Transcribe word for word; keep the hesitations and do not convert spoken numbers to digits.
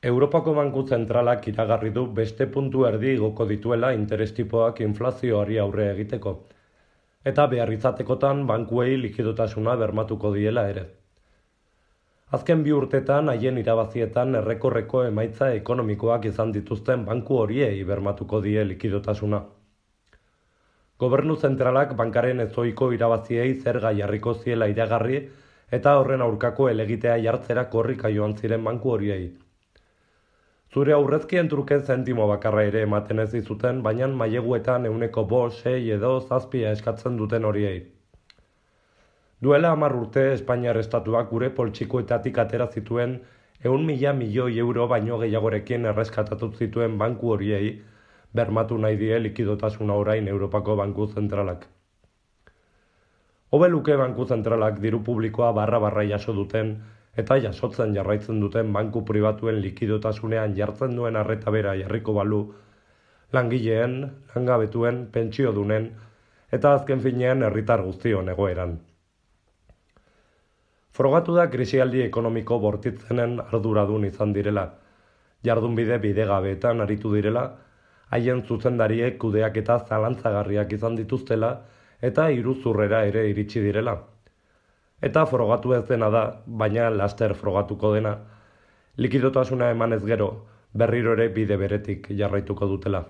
Europako Banku Zentralak iragarri du beste puntu erdi igoko dituela interes tipoak inflazioari aurre egiteko, eta behar izatekotan bankuei likidotasuna bermatuko diela ere. Azken bi urtetan haien irabazietan errekorreko emaitza ekonomikoak izan dituzten banku horiei bermatuko die likidotasuna. Gobernu zentralak bankaren ezoiko irabaziei zerga jarriko ziela iragarri eta horren aurkako helegitea jartzera korrika joan ziren banku horiei. Zure aurrezkien truke zentimo bakarra ere ematen ez dizuten, baina maileguetan ehuneko bost, sei edo zazpia eskatzen duten horiei. Duela hamar urte Espainiar estatuak gure poltsikoetatik atera zituen ehun mila milioi euro baino gehiagorekin erreskatatu zituen banku horiei bermatu nahi die likidotasuna orain Europako Banku Zentralak. Hobe luke Banku Zentralak diru publikoa barra-barra jaso duten eta jasotzen jarraitzen duten banku pribatuen likidotasunean jartzen duen arreta bera jarriko balu, langileen, langabetuen, pentsiodunen eta azken finean herritar guztion egoeran. Frogatu da krisialdi ekonomiko bortitzenen arduradun izan direla, jardunbide bidegabeetan aritu direla, haien zuzendariek kudeak eta zalantzagarriak izan dituztela eta iruzurrera ere iritsi direla. Eta frogatu ez dena da, baina laster frogatuko dena, likidotasuna emanez gero, berriro ere bide beretik jarraituko dutela.